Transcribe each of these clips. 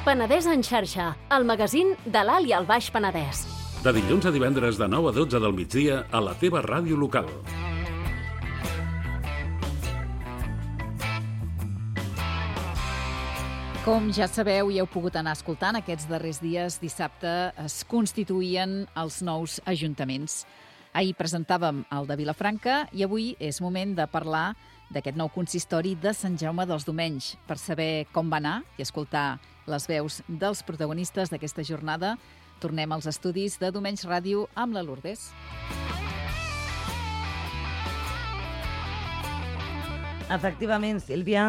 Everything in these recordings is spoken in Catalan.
Penedès en xarxa, el magazín de l'Alt i el Baix Penedès. De dilluns a divendres de 9 a 12 del migdia a la teva ràdio local. Com ja sabeu i heu pogut anar escoltant, aquests darrers dies, dissabte, es constituïen els nous ajuntaments. Ahir presentàvem el de Vilafranca i avui és moment de parlar d'aquest nou consistori de Sant Jaume dels Domenys. Per saber com va anar i escoltar les veus dels protagonistes d'aquesta jornada, tornem als estudis de Domenys Ràdio amb la Lourdes. Efectivament, Sílvia,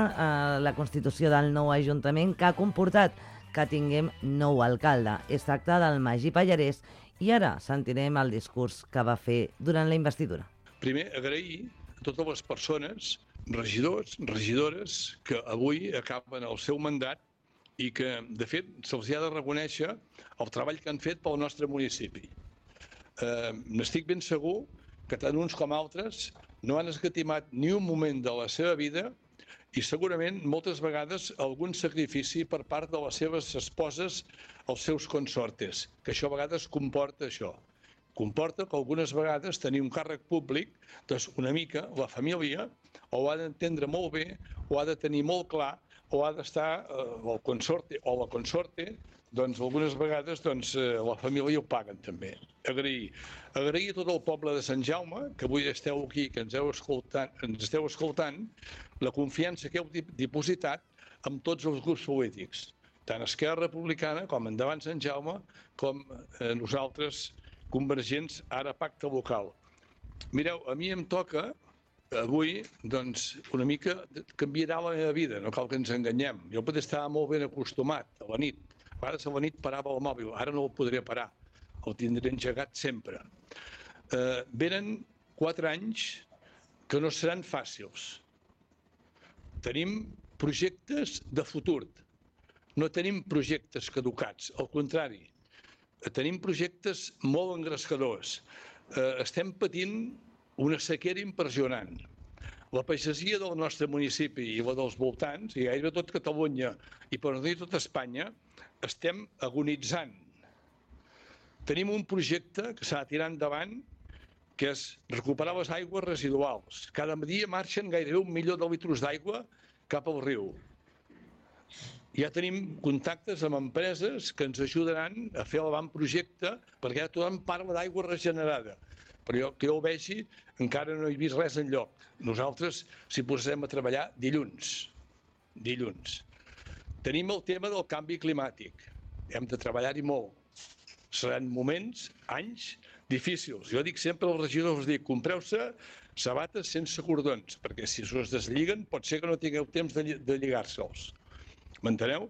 la constitució del nou ajuntament que ha comportat que tinguem nou alcalde. Es tracta del Magí Pallarès i ara sentirem el discurs que va fer durant la investidura. Primer, agrair a totes les persones, regidors, regidores, que avui acaben el seu mandat i que, de fet, se'ls ha de reconèixer el treball que han fet pel nostre municipi. N'estic ben segur que tant uns com altres no han escatimat ni un moment de la seva vida i segurament moltes vegades algun sacrifici per part de les seves esposes als seus consortes, que això a vegades comporta això. Comporta que algunes vegades tenir un càrrec públic, doncs una mica la família o ho ha d'entendre molt bé, o ha de tenir molt clar, o ha d'estar el consorte o la consorte, doncs algunes vegades la família ho paguen també. Agrair a tot el poble de Sant Jaume, que avui esteu aquí, que ens esteu escoltant, la confiança que heu dipositat amb tots els grups polítics, tant Esquerra Republicana com Endavant Sant Jaume, com nosaltres, convergents, ara pacte local. Mireu, a mi em toca avui, una mica canviarà la meva vida, no cal que ens enganyem. Jo potser estava molt ben acostumat a la nit. A vegades a la nit parava el mòbil, ara no el podré parar. El tindré engegat sempre. Venen 4 anys que no seran fàcils. Tenim projectes de futur. No tenim projectes caducats, al contrari. Tenim projectes molt engrescadors. Estem patint una sequera impressionant. La pagesia del nostre municipi i la dels voltants, i gairebé tot Catalunya i per no dir tot Espanya, estem agonitzant. Tenim un projecte que s'ha de tirar endavant, que és recuperar les aigües residuals. Cada dia marxen gairebé 1 milió de litres d'aigua cap al riu. Ja tenim contactes amb empreses que ens ajudaran a fer l'avantprojecte, perquè ja tothom parla d'aigua regenerada. Però jo, que jo ho vegi, encara no he vist res enlloc. Nosaltres s'hi posarem a treballar dilluns. Tenim el tema del canvi climàtic. Hem de treballar-hi molt. Seran moments, anys, difícils. Jo dic sempre als regidors, compreu-se sabates sense cordons, perquè si us deslliguen pot ser que no tingueu temps de lligar-se'ls. M'enteneu?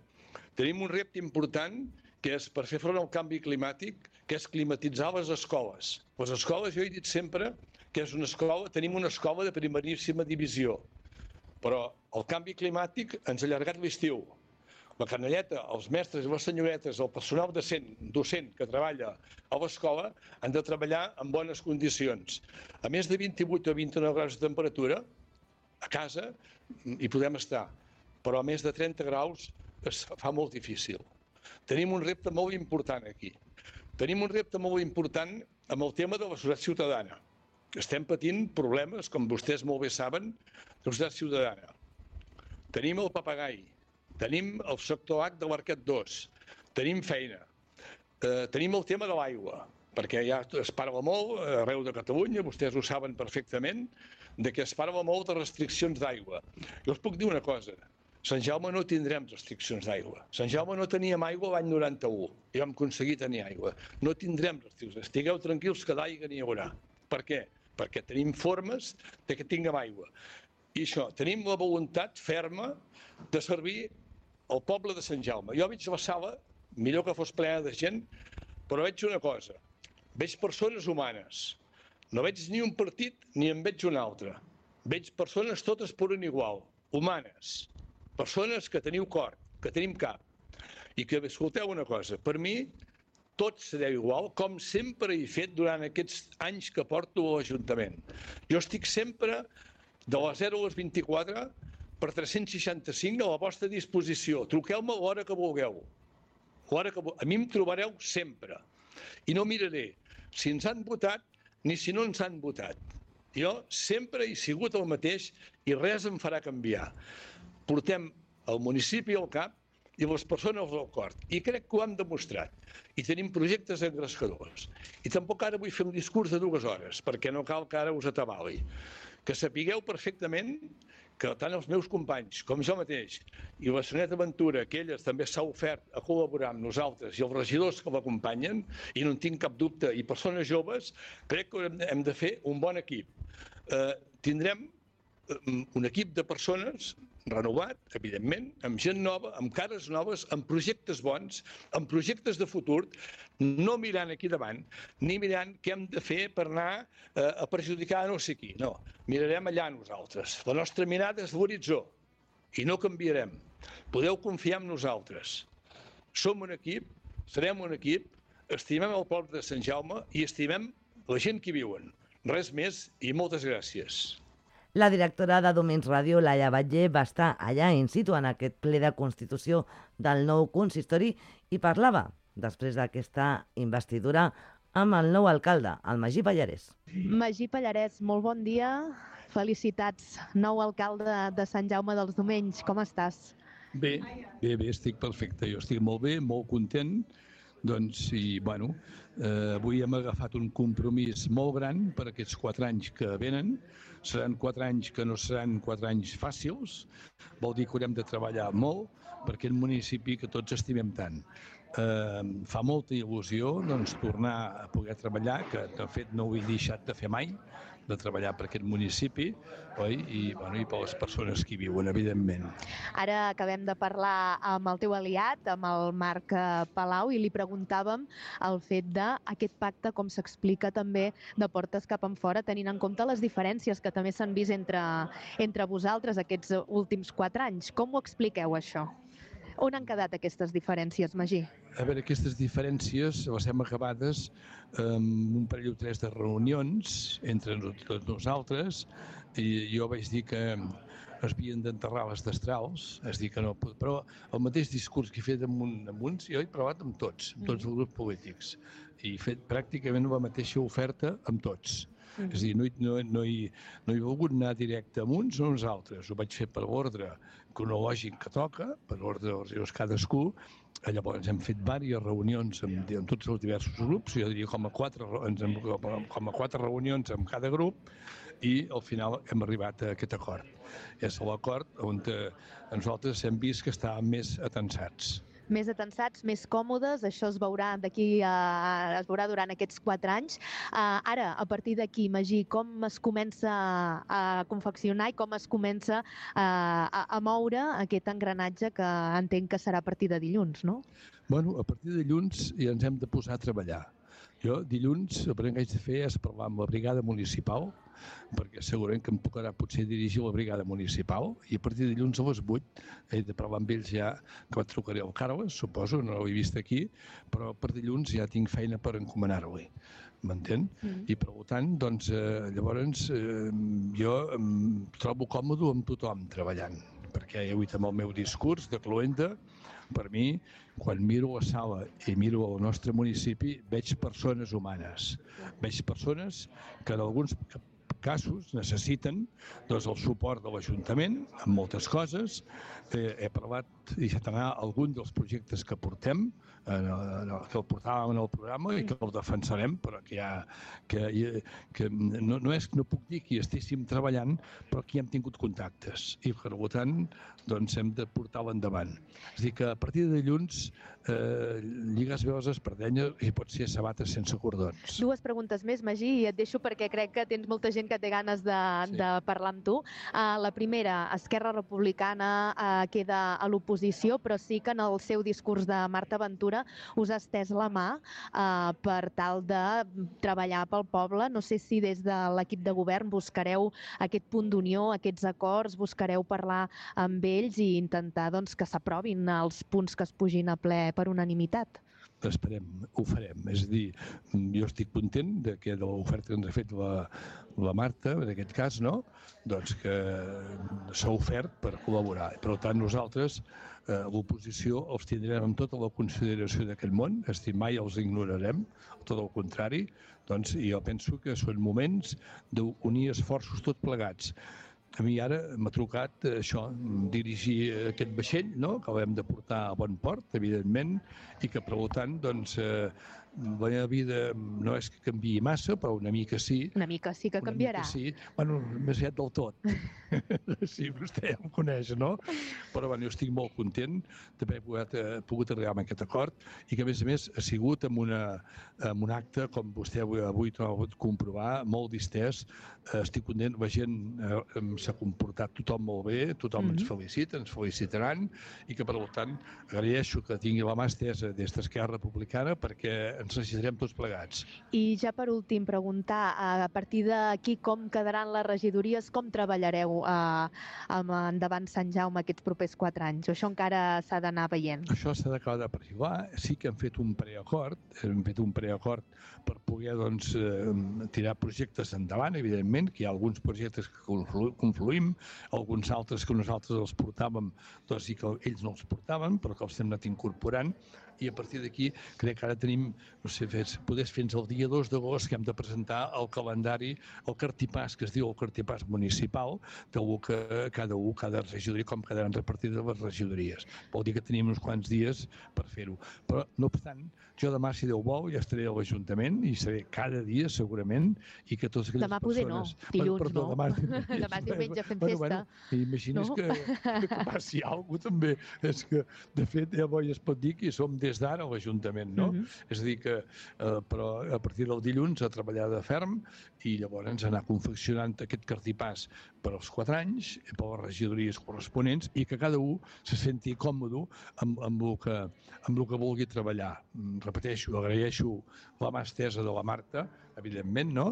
Tenim un repte important que és per fer front al canvi climàtic, que és climatitzar les escoles. Les escoles, jo he dit sempre que és una escola, tenim una escola de primeríssima divisió, però el canvi climàtic ens ha allargat l'estiu. La canalleta, els mestres i les senyoretes, el personal docent que treballa a l'escola han de treballar en bones condicions. A més de 28 o 29 graus de temperatura, a casa hi podem estar, però a més de 30 graus es fa molt difícil. Tenim un repte molt important aquí. Tenim un repte molt important amb el tema de la societat ciutadana. Estem patint problemes, com vostès molt bé saben, de la societat ciutadana. Tenim el papagai, tenim el sector H de l'Arquet 2, tenim feina, tenim el tema de l'aigua, perquè ja es parla molt arreu de Catalunya, vostès ho saben perfectament, de que es parla molt de restriccions d'aigua. Jo us puc dir una cosa, Sant Jaume no tindrem restriccions d'aigua. Sant Jaume no teníem aigua l'any 91 i vam aconseguir tenir aigua. No tindrem restriccions. Estigueu tranquils que d'aigua n'hi haurà. Per què? Perquè tenim formes de que tinguem aigua. I això, tenim la voluntat ferma de servir el poble de Sant Jaume. Jo veig la sala, millor que fos plena de gent, però veig una cosa. Veig persones humanes. No veig ni un partit ni en veig un altre. Veig persones totes per un igual, humanes. Persones que teniu cor, que tenim cap. I que escolteu una cosa, per mi tot serà igual, com sempre he fet durant aquests anys que porto a l'Ajuntament. Jo estic sempre de les 0 a les 24 per 365 a la vostra disposició. Truqueu-me a l'hora que vulgueu. A mi em trobareu sempre. I no miraré si ens han votat ni si no ens han votat. Jo sempre he sigut el mateix i res em farà canviar. Portem el municipi al cap i les persones al cor. I crec que ho hem demostrat. I tenim projectes engrescadors. I tampoc ara vull fer un discurs de 2 hores, perquè no cal que ara us atabali. Que sapigueu perfectament que tant els meus companys com jo mateix i la senyoreta Ventura, que elles també s'ha ofert a col·laborar amb nosaltres, i els regidors que l'acompanyen, i no en tinc cap dubte, i persones joves, crec que hem de fer un bon equip. Tindrem un equip de persones renovat, evidentment, amb gent nova, amb cares noves, amb projectes bons, amb projectes de futur, no mirant aquí davant, ni mirant què hem de fer per anar a perjudicar no sé qui. No, mirarem allà nosaltres. La nostra mirada és l'horitzó i no canviarem. Podeu confiar en nosaltres. Som un equip, serem un equip, estimem el poble de Sant Jaume i estimem la gent que hi viuen. Res més i moltes gràcies. La directora de Domins Ràdio, Laia Batlle, va estar allà in situ en aquest ple de constitució del nou consistori i parlava, després d'aquesta investidura, amb el nou alcalde, el Magí Pallarès. Magí Pallarès, molt bon dia. Felicitats, nou alcalde de Sant Jaume dels Domenys. Com estàs? Bé, estic perfecte. Jo estic molt bé, molt content. Doncs, i bueno, avui hem agafat un compromís molt gran per aquests 4 anys que venen. Seran 4 anys que no seran 4 anys fàcils, vol dir que haurem de treballar molt per aquest municipi que tots estimem tant. Fa molta il·lusió doncs, tornar a poder treballar, que de fet no ho he deixat de fer mai, de treballar per aquest municipi, oi? I per les persones que hi viuen, evidentment. Ara acabem de parlar amb el teu aliat, amb el Marc Palau, i li preguntàvem el fet d'aquest pacte, com s'explica també de portes cap enfora, tenint en compte les diferències que també s'han vist entre vosaltres aquests últims 4 anys. Com ho expliqueu, això? On han quedat aquestes diferències, Magí? A veure, aquestes diferències les hem acabades amb un parell o 3 de reunions entre tots nosaltres, i jo vaig dir que es havien d'enterrar les destrals, és dir, que no, però el mateix discurs que he fet amb uns, jo he provat amb tots els grups polítics, i he fet pràcticament la mateixa oferta amb tots. És a dir, no he volgut anar directe amb uns o uns altres. Ho vaig fer per l'ordre cronològic que toca, per l'ordre dels rius cadascú. Llavors hem fet diverses reunions amb tots els diversos grups, jo diria com a 4 reunions amb cada grup, i al final hem arribat a aquest acord. És l'acord on nosaltres hem vist que estàvem més atensats. Més atensats, més còmodes, això es veurà durant aquests 4 anys. Ara, a partir d'aquí, Magí, com es comença a confeccionar i com es comença a moure aquest engranatge que entenc que serà a partir de dilluns, no? Bueno, a partir de dilluns ja ens hem de posar a treballar. Jo dilluns el primer que haig de fer és parlar amb la brigada municipal, perquè segurament que em tocarà potser dirigir la brigada municipal, i a partir de dilluns a les 8 he de parlar amb ells ja, que em trucaré al Carles, suposo, no l'he vist aquí, però per dilluns ja tinc feina per encomanar-li, m'entén? I per tant, doncs, llavors jo em trobo còmode amb tothom treballant, perquè he dit amb el meu discurs de cloenda. Per mi, quan miro la sala i miro el nostre municipi, veig persones humanes. Veig persones que en alguns casos necessiten doncs, el suport de l'Ajuntament en moltes coses. He parlat i deixat anar algun dels projectes que portem, que el portàvem en el programa i que el defensarem, però que no és que no puc dir que hi estéssim treballant, però que hi hem tingut contactes i per tant doncs, hem de portar-la endavant. És a dir, que a partir de dilluns lligues bé les espardenyes i pot ser sabates sense cordons. 2 preguntes més, Magí, i et deixo perquè crec que tens molta gent que té ganes de parlar amb tu. La primera, Esquerra Republicana queda a l'oposició, però sí que en el seu discurs de Marta Ventura us ha estès la mà per tal de treballar pel poble. No sé si des de l'equip de govern buscareu aquest punt d'unió, aquests acords, buscareu parlar amb ells i intentar doncs, que s'aprovin els punts que es pugin a ple per unanimitat. esperem, ho farem. És a dir, jo estic content de l'oferta que ens ha fet la Marta, en aquest cas, no? Doncs que s'ha ofert per col·laborar. Per tant, nosaltres, l'oposició, els tindrem amb tota la consideració d'aquest món, és a dir, mai els ignorarem, tot el contrari, doncs jo penso que són moments d'unir esforços tots plegats. A mi ara m'ha trucat això, dirigir aquest vaixell, no?, que l'hem de portar a bon port, evidentment, i que, per tant, doncs, la meva vida no és que canviï massa, però una mica sí. Una mica sí que canviarà. Una mica sí. Bueno, més aviat del tot. Sí, vostè ja em coneix, no? Però bueno, jo estic molt content d'haver pogut arribar a aquest acord i que, a més, ha sigut amb un acte, com vostè avui ha pogut comprovar, molt distès. Estic content, la gent s'ha comportat tothom molt bé, tothom ens felicita, ens felicitaran i que, per tant, agraeixo que tingui la mà estesa des d'Esquerra Republicana perquè ens necessitarem tots plegats. I ja per últim, preguntar, a partir d'aquí com quedaran les regidories, com treballareu endavant Sant Jaume aquests propers 4 anys? O això encara s'ha d'anar veient? Això s'ha d'acabar de perfilar. Sí que hem fet un preacord, per poder tirar projectes endavant, evidentment, que hi ha alguns projectes que confluïm, alguns altres que nosaltres els portàvem i que ells no els portaven, però que els hem anat incorporant, i a partir d'aquí crec que ara tenim, no sé, poder fins al dia 2 d'agost que hem de presentar el calendari, el cartipàs, que es diu el cartipàs municipal, del que cada regidoria, com quedaran repartides les regidories. Vol dir que tenim uns quants dies per fer-ho. Però, no obstant, jo demà, si Déu vol, ja estaré a l'Ajuntament i seré cada dia, segurament, i que totes aquelles persones... Dilluns no, demà és diumenge fent festa. Imagines que passi alguna cosa també. És que, de fet, ja es pot dir que som des d'ara a l'Ajuntament, no? És a dir que, però a partir del dilluns a treballar de ferm i llavors anar confeccionant aquest cartipàs per als 4 anys, per les regidories corresponents i que cada un se senti còmode amb el que vulgui treballar. Repeteixo, agraeixo la mà estesa de la Marta, evidentment, no?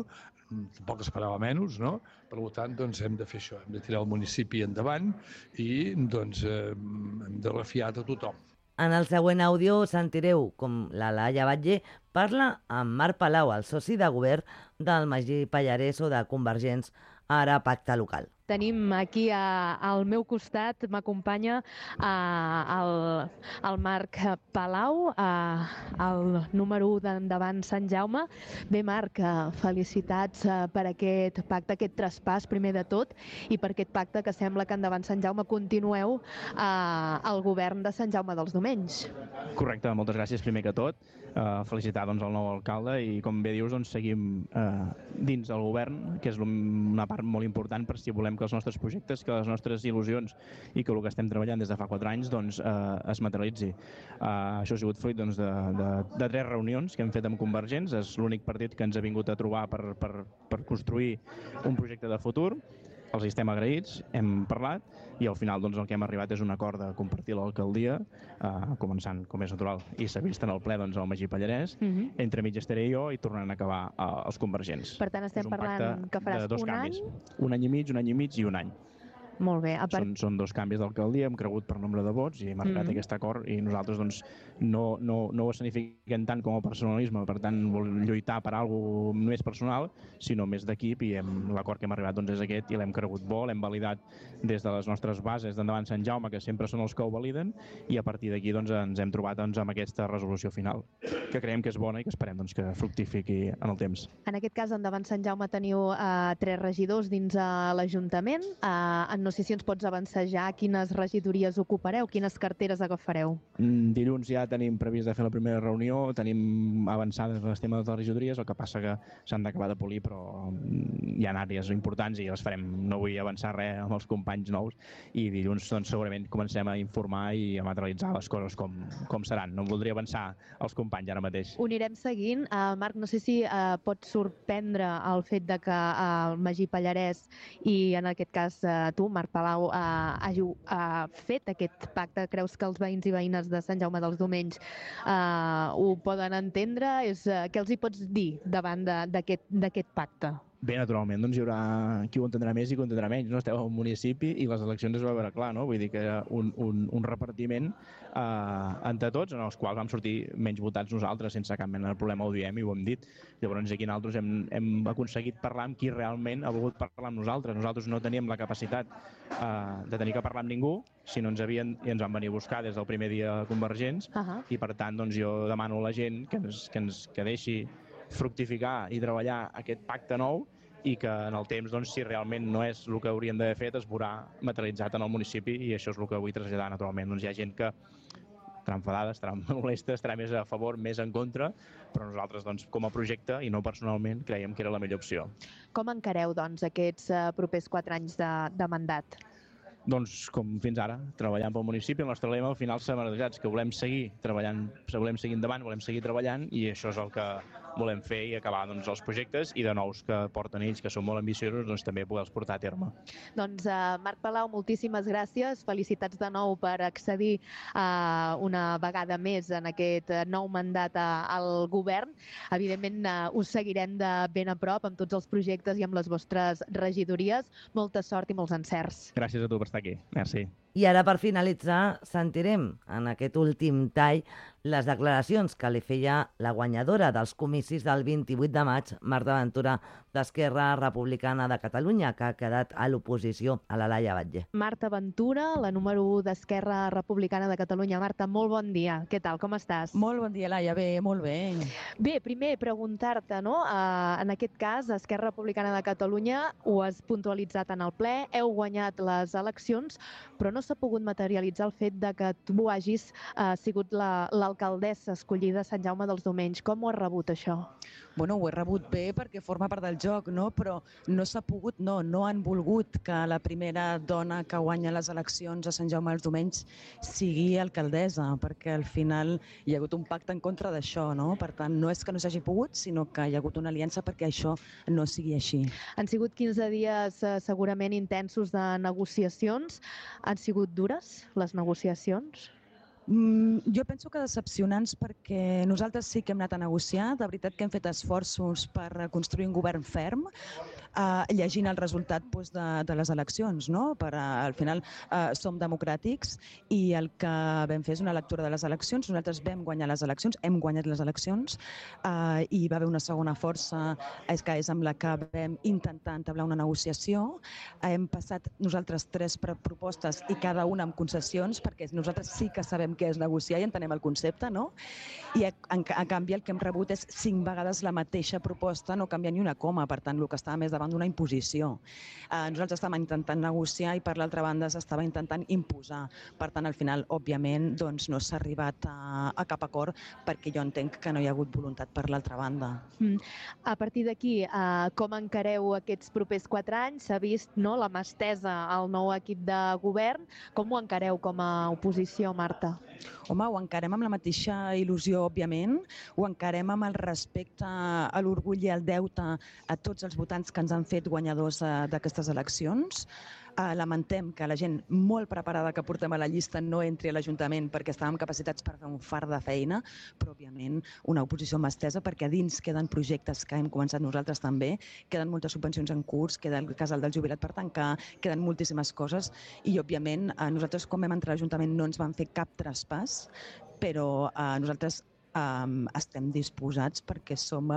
Tampoc esperava menys, no? Per tant, doncs hem de fer això, hem de tirar el municipi endavant i doncs hem de refiar de tothom. En el següent àudio sentireu com la Laia Batlle parla amb Marc Palau, el soci de govern del Magí Pallarès o de Convergents, ara Pacte Local. Tenim aquí al meu costat, m'acompanya el Marc Palau, el número 1 d'Endavant Sant Jaume. Bé, Marc, felicitats per aquest pacte, aquest traspàs, primer de tot, i per aquest pacte que sembla que Endavant Sant Jaume continueu al govern de Sant Jaume dels Domenys. Correcte, moltes gràcies primer que tot. Felicitar el nou alcalde i, com bé dius, seguim dins del govern, que és una part molt important per si volem que els nostres projectes, que les nostres il·lusions i que el que estem treballant des de fa 4 anys es materialitzi. Això ha sigut fruit de 3 reunions que hem fet amb Convergents. És l'únic partit que ens ha vingut a trobar per construir un projecte de futur. Els estem agraïts, hem parlat i al final el que hem arribat és un acord de compartir l'alcaldia, començant, com és natural, i s'ha vist en el ple al Magí Pallarès, entre mig estaré jo i tornant a acabar els Convergents. Per tant, estem parlant que faràs un any? Un any i mig i un any. Molt bé. Són 2 canvis d'alcaldia, hem cregut per nombre de vots i hem arribat a aquest acord i nosaltres no ho escenifiquem tant com a personalisme, per tant lluitar per alguna cosa més personal, sinó més d'equip, i l'acord que hem arribat és aquest i l'hem cregut bo, l'hem validat des de les nostres bases d'Endavant Sant Jaume, que sempre són els que ho validen, i a partir d'aquí ens hem trobat amb aquesta resolució final, que creiem que és bona i que esperem que fructifiqui en el temps. En aquest cas, Endavant Sant Jaume teniu 3 regidors dins l'Ajuntament. No sé si ens pots avançar ja quines regidories ocupareu, quines carteres agafareu. Dilluns ja tenim previst de fer la primera reunió, tenim avançades els temes de les regidories, el que passa que s'han d'acabar de polir, però hi ha àrees importants i les farem. No vull avançar res amb els companys nous i dilluns segurament comencem a informar i a materialitzar les coses com seran. No em voldria avançar als companys ara mateix. Ho anirem seguint. Marc, no sé si pot sorprendre el fet de que el Magí Pallarès i en aquest cas tu, Marc Palau, hàgiu fet aquest pacte. Creus que els veïns i veïnes de Sant Jaume dels Domenys ho poden entendre? Què els hi pots dir davant d'aquest pacte? Bé, naturalment, doncs hi haurà qui ho entendrà més i qui ho entendrà menys. No? Esteu al municipi i les eleccions es va veure clar, no? Vull dir que era un repartiment entre tots, en els quals vam sortir menys votats nosaltres, sense cap mena de problema, ho diem i ho hem dit. Llavors aquí nosaltres hem aconseguit parlar amb qui realment ha volgut parlar amb nosaltres. Nosaltres no teníem la capacitat de tenir que parlar amb ningú, sinó ens van venir a buscar des del primer dia convergents, i per tant doncs, jo demano a la gent que deixi fructificar i treballar aquest pacte nou i que en el temps, doncs, si realment no és el que hauríem d'haver fet, es veurà materialitzat en el municipi, i això és el que vull traslladar naturalment. Doncs hi ha gent que estarà enfadada, estarà molesta, estarà més a favor, més en contra, però nosaltres, doncs, com a projecte i no personalment, creiem que era la millor opció. Com encareu, doncs, aquests propers 4 anys de mandat? Doncs com fins ara, treballant pel municipi. El nostre lema al final s'ha marejat, que volem seguir treballant, volem seguir endavant, volem seguir treballant, i això és el que volem fer i acabar doncs, els projectes i de nous que porten ells, que són molt ambiciosos, doncs també poder-los portar a terme. Doncs Marc Palau, moltíssimes gràcies, felicitats de nou per accedir una vegada més en aquest nou mandat al govern. Evidentment us seguirem de ben a prop amb tots els projectes i amb les vostres regidories. Molta sort i molts encerts. Gràcies a tu per estar aquí. Merci. I ara, per finalitzar, sentirem en aquest últim tall les declaracions que li feia la guanyadora dels comicis del 28 de maig, Marta Ventura, d'Esquerra Republicana de Catalunya, que ha quedat a l'oposició a la Laia Batlle. Marta Ventura, la número 1 d'Esquerra Republicana de Catalunya. Marta, molt bon dia. Què tal? Com estàs? Molt bon dia, Laia. Bé, molt bé. Bé, primer preguntar-te, no? En aquest cas, Esquerra Republicana de Catalunya ho has puntualitzat en el ple, heu guanyat les eleccions, però no s'ha pogut materialitzar el fet de que tu hagis sigut l'alcaldessa escollida a Sant Jaume dels Domenys. Com ho has rebut, això? Bueno, ho he rebut bé perquè forma part del joc, no? Però no s'ha pogut, no han volgut que la primera dona que guanya les eleccions a Sant Jaume dels Domenys sigui alcaldessa, perquè al final hi ha hagut un pacte en contra d'això, no? Per tant, no és que no s'hagi pogut, sinó que hi ha hagut una aliança perquè això no sigui així. Han sigut 15 dies segurament intensos de negociacions. Han sigut dures les negociacions? Jo penso que decepcionants, perquè nosaltres sí que hem anat a negociar, de veritat que hem fet esforços per construir un govern ferm, llegint el resultat de les eleccions, no? Al final som democràtics i el que vam fer és una lectura de les eleccions. Nosaltres vam guanyar les eleccions, hem guanyat les eleccions, i va haver una segona força que és amb la que vam intentar entablar una negociació. Hem passat nosaltres 3 propostes i cada una amb concessions, perquè nosaltres sí que sabem què és negociar i entenem el concepte, no? I a canvi el que hem rebut és 5 vegades la mateixa proposta, no canvia ni una coma, per tant el que estava més davant d'una imposició. Nosaltres estàvem intentant negociar i per l'altra banda s'estava intentant imposar. Per tant, al final, òbviament, doncs, no s'ha arribat a cap acord perquè jo entenc que no hi ha hagut voluntat per l'altra banda. A partir d'aquí, com encareu aquests propers 4 anys? S'ha vist la mà estesa al nou equip de govern. Com ho encareu com a oposició, Marta? Home, ho encarem amb la mateixa il·lusió, òbviament. Ho encarem amb el respecte a l'orgull i al deute a tots els votants que ens han fet guanyadors d'aquestes eleccions. Lamentem que la gent molt preparada que portem a la llista no entri a l'Ajuntament perquè estàvem capacitats per fer un fart de feina, però òbviament una oposició mà estesa perquè a dins queden projectes que hem començat nosaltres també, queden moltes subvencions en curs, queda el casal del jubilat per tancar, queden moltíssimes coses i òbviament nosaltres quan vam entrar a l'Ajuntament no ens van fer cap traspàs, però nosaltres estem disposats perquè som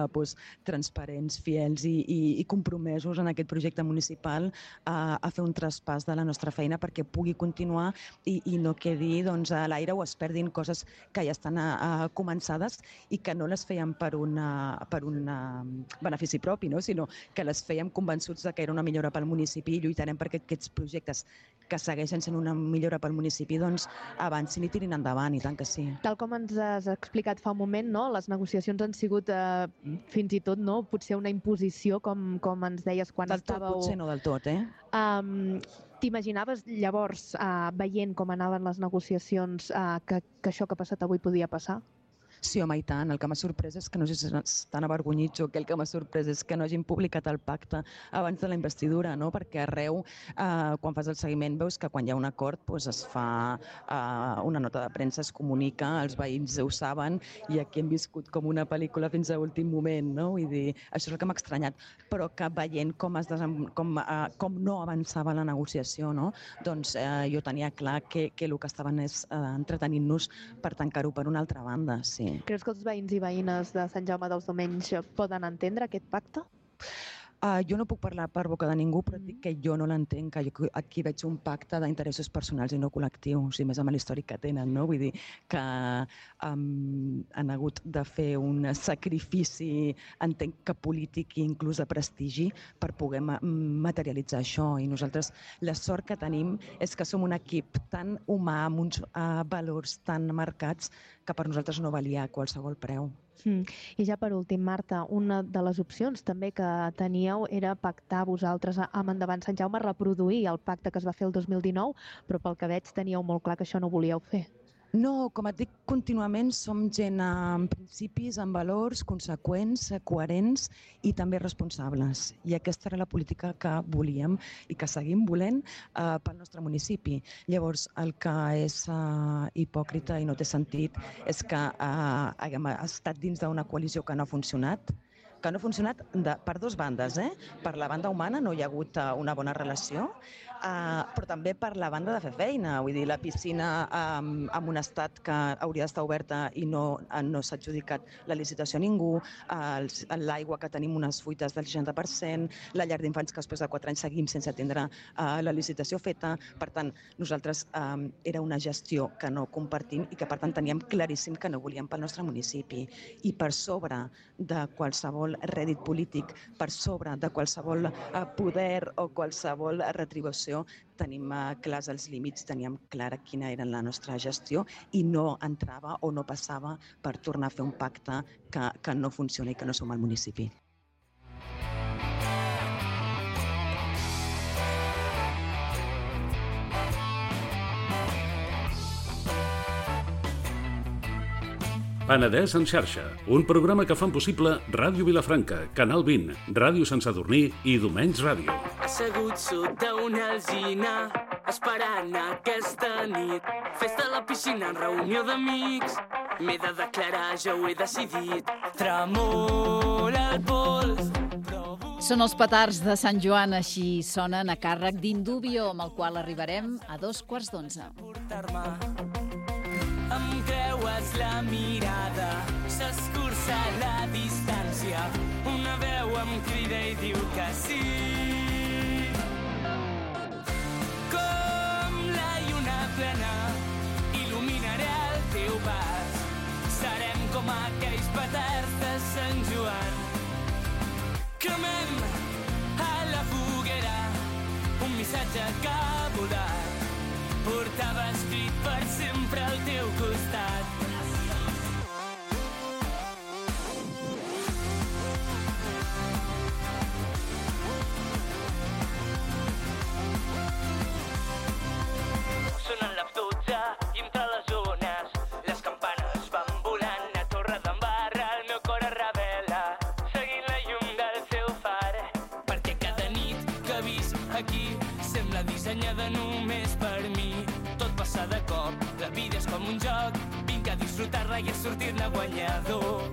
transparents, fiels i compromesos en aquest projecte municipal a fer un traspàs de la nostra feina perquè pugui continuar i no quedi a l'aire o es perdin coses que ja estan començades i que no les fèiem per un benefici propi, sinó que les fèiem convençuts de que era una millora pel municipi i lluitarem perquè aquests projectes que segueixen sent una millora pel municipi avancin i tirin endavant, i tant que sí. Tal com ens has explicat fa un moment, les negociacions han sigut fins i tot potser una imposició, com ens deies quan estàveu... Potser no del tot, T'imaginaves llavors, veient com anaven les negociacions, que això que ha passat avui podia passar? Sí, home, i tant. El que m'ha sorprès és que no sé si estan avergonyits o que el que m'ha sorprès és que no hagin publicat el pacte abans de la investidura, no? Perquè arreu, quan fas el seguiment, veus que quan hi ha un acord es fa una nota de premsa, es comunica, els veïns ho saben, i aquí hem viscut com una pel·lícula fins a l'últim moment, no? Vull dir, això és el que m'ha estranyat, però que veient com no avançava la negociació, no? Doncs jo tenia clar que el que estaven és entretenint-nos per tancar-ho per una altra banda, sí. Creus que els veïns i veïnes de Sant Jaume dels Domenys poden entendre aquest pacte? Jo no puc parlar per boca de ningú, però dic que jo no l'entenc, que jo aquí veig un pacte d'interessos personals i no col·lectius, i més amb l'històric que tenen, no? Vull dir que han hagut de fer un sacrifici, entenc que polític i inclús de prestigi, per poder materialitzar això. I nosaltres la sort que tenim és que som un equip tan humà, amb uns valors tan marcats, que per nosaltres no valia a qualsevol preu. I ja per últim, Marta, una de les opcions també que teníeu era pactar vosaltres amb Endavant Sant Jaume, reproduir el pacte que es va fer el 2019, però pel que veig teníeu molt clar que això no volíeu fer. No, com et dic, contínuament som gent amb principis, amb valors, conseqüents, coherents i també responsables. I aquesta era la política que volíem i que seguim volent pel nostre municipi. Llavors, el que és hipòcrita i no té sentit és que haguem estat dins d'una coalició que no ha funcionat, per dues bandes. Per la banda humana no hi ha hagut una bona relació, però també per la banda de fer feina. Vull dir, la piscina en un estat que hauria d'estar oberta i no s'ha adjudicat la licitació a ningú, l'aigua que tenim unes fuites del 60%, la llar d'infants que després de 4 anys seguim sense atendre la licitació feta. Per tant, nosaltres era una gestió que no compartim i que per tant teníem claríssim que no volíem pel nostre municipi. I per sobre de qualsevol rèdit polític, per sobre de qualsevol poder o qualsevol retribució, tenim clars els límits, teníem clara quina era la nostra gestió i no entrava o no passava per tornar a fer un pacte que no funciona i que no som al municipi. Penedès en xarxa, un programa que fan possible Ràdio Vilafranca, Canal 20, Ràdio Sant Sadurní i Domenys Ràdio. Assegut sota una alzina, esperant aquesta nit. Festa a la piscina en reunió d'amics. M'he de declarar, ja ho he decidit. Tremola el pols. Són els petards de Sant Joan, així sonen a càrrec d'Indubio, amb el qual arribarem a 11:45. Em creues la mirada, s'escurça la distància. Una veu em crida i diu que sí. Com la lluna plena, il·luminaré el teu pas. Serem com aquells petards de Sant Joan. Cremem a la foguera un missatge que ha volat. Portava escrit per sempre al teu costat. Sonen les 12 i entre les ones les campanes van volant a Torredembarra. El meu cor es revela seguint la llum del seu far, perquè cada nit que he vist aquí sembla dissenyada només per mi. Tot passa de cop, la vida és com un joc, vinc a disfrutar-la i a sortir-ne guanyador.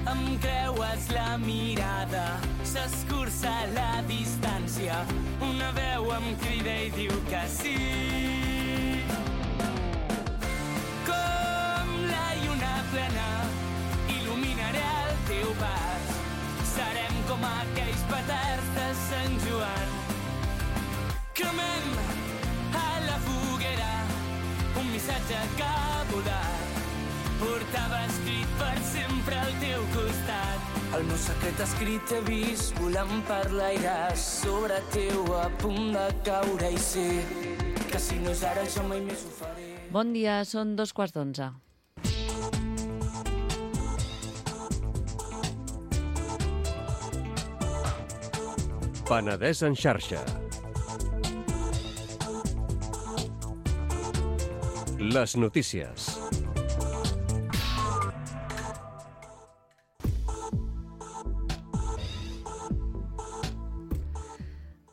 Em creues la mirada, s'escurça la distància, una veu em crida i diu que sí. Com la lluna plena, il·luminaré el teu pas. Serem com aquells petards de Sant Joan. Cremem a la foguera un missatge que ha volat. Portava escrit per sempre al teu costat. El meu secret escrit he vist volant per l'aire sobre teu, a punt de caure, i sé que si no és ara jo mai més ho faré. Bon dia, són 11:45. Penedès en xarxa. Les notícies.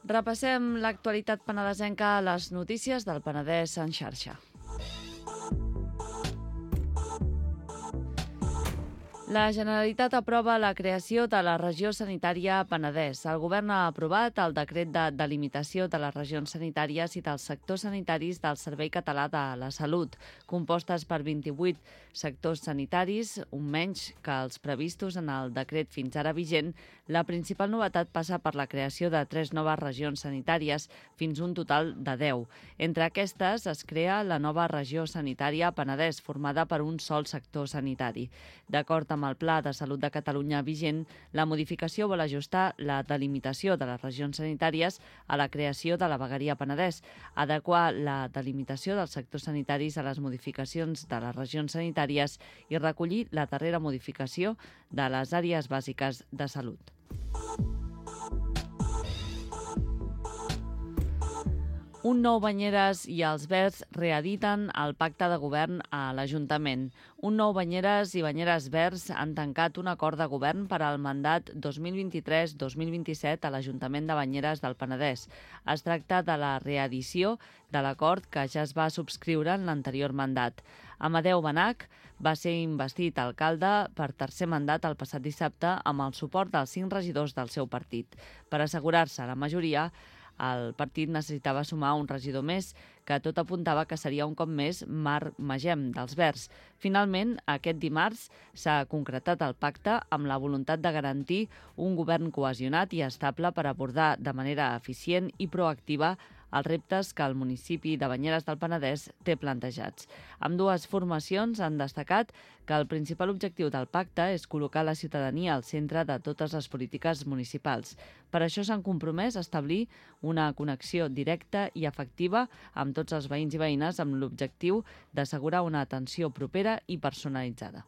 Repassem l'actualitat penedesenca a les notícies del Penedès en xarxa. La Generalitat aprova la creació de la regió sanitària Penedès. El govern ha aprovat el decret de delimitació de les regions sanitàries i dels sectors sanitaris del Servei Català de la Salut, compostes per 28 sectors sanitaris, un menys que els previstos en el decret fins ara vigent. La principal novetat passa per la creació de 3 noves regions sanitàries, fins un total de 10. Entre aquestes es crea la nova regió sanitària Penedès, formada per un sol sector sanitari. D'acord amb el Pla de Salut de Catalunya vigent, la modificació vol ajustar la delimitació de les regions sanitàries a la creació de la vegueria Penedès, adequar la delimitació dels sectors sanitaris a les modificacions de les regions sanitàries i recollir la darrera modificació de les àrees bàsiques de salut. Un nou Banyeres i els Verds reediten el pacte de govern a l'Ajuntament. Un nou Banyeres i Banyeres Verds han tancat un acord de govern per al mandat 2023-2027 a l'Ajuntament de Banyeres del Penedès. Es tracta de la reedició de l'acord que ja es va subscriure en l'anterior mandat. Amadeu Benach va ser investit alcalde per tercer mandat el passat dissabte amb el suport dels 5 regidors del seu partit. Per assegurar-se la majoria, el partit necessitava sumar un regidor més, que tot apuntava que seria un cop més Marc Magem, dels Verds. Finalment, aquest dimarts s'ha concretat el pacte amb la voluntat de garantir un govern cohesionat i estable per abordar de manera eficient i proactiva els reptes que el municipi de Banyeres del Penedès té plantejats. Ambdues formacions han destacat que el principal objectiu del pacte és col·locar la ciutadania al centre de totes les polítiques municipals. Per això s'han compromès a establir una connexió directa i efectiva amb tots els veïns i veïnes amb l'objectiu d'assegurar una atenció propera i personalitzada.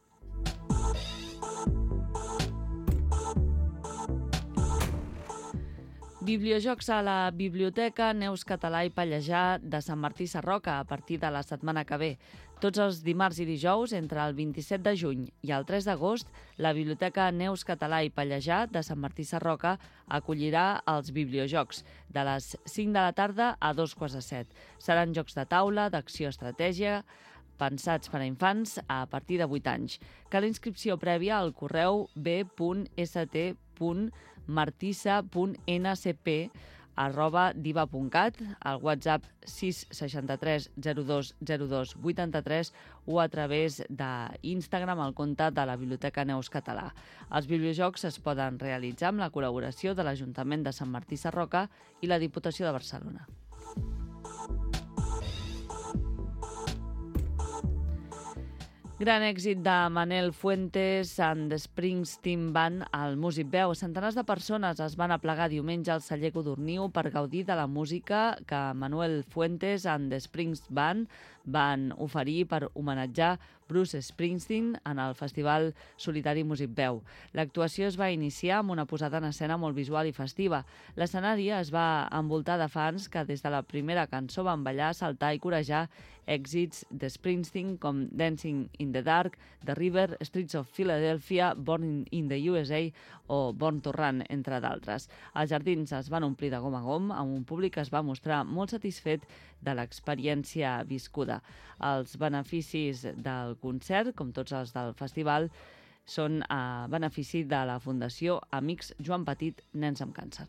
Bibliojocs a la Biblioteca Neus Català i Pallejà de Sant Martí Sarroca a partir de la setmana que ve. Tots els dimarts i dijous, entre el 27 de juny i el 3 d'agost, la Biblioteca Neus Català i Pallejà de Sant Martí Sarroca acollirà els Bibliojocs de les 5 de la tarda a 2:15. Seran jocs de taula, d'acció estratègia, pensats per a infants a partir de 8 anys. Cal inscripció prèvia al correu b.st.martissa.ncp@diva.cat, al WhatsApp 663 02 02 83 o a través d'Instagram al compte de la Biblioteca Neus Català. Els bibliojocs es poden realitzar amb la col·laboració de l'Ajuntament de Sant Martí Sarroca i la Diputació de Barcelona. Gran èxit de Manel Fuentes and the Springsteen Band al Músic Veu. Centenars de persones es van aplegar diumenge al celler Codorniu per gaudir de la música que Manuel Fuentes and the Springsteen Band van oferir per homenatjar Bruce Springsteen en el Festival Solitari Músic Veu. L'actuació es va iniciar amb una posada en escena molt visual i festiva. L'escenari es va envoltar de fans que des de la primera cançó van ballar, saltar i corejar èxits de Springsteen com Dancing in the Dark, The River, Streets of Philadelphia, Born in the USA o Born to Run, entre d'altres. Els jardins es van omplir de gom a gom amb un públic que es va mostrar molt satisfet de l'experiència viscuda. Els beneficis del concert, com tots els del festival, són a benefici de la Fundació Amics Joan Petit, Nens amb Càncer.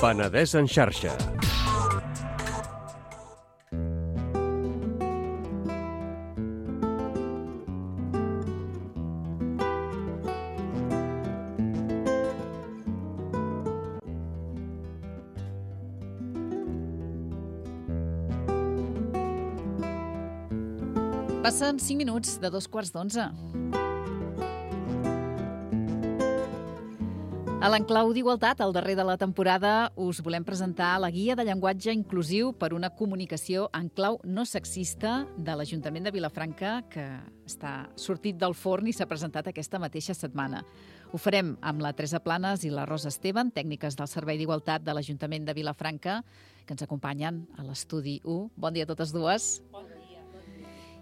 Penedès en xarxa. Passen 5 minuts de 2:15. A l'enclau d'Igualtat, al darrer de la temporada, us volem presentar la guia de llenguatge inclusiu per una comunicació en clau no sexista de l'Ajuntament de Vilafranca, que està sortit del forn i s'ha presentat aquesta mateixa setmana. Ho farem amb la Teresa Planes i la Rosa Esteban, tècniques del Servei d'Igualtat de l'Ajuntament de Vilafranca, que ens acompanyen a l'estudi 1. Bon dia a totes dues. Bon dia.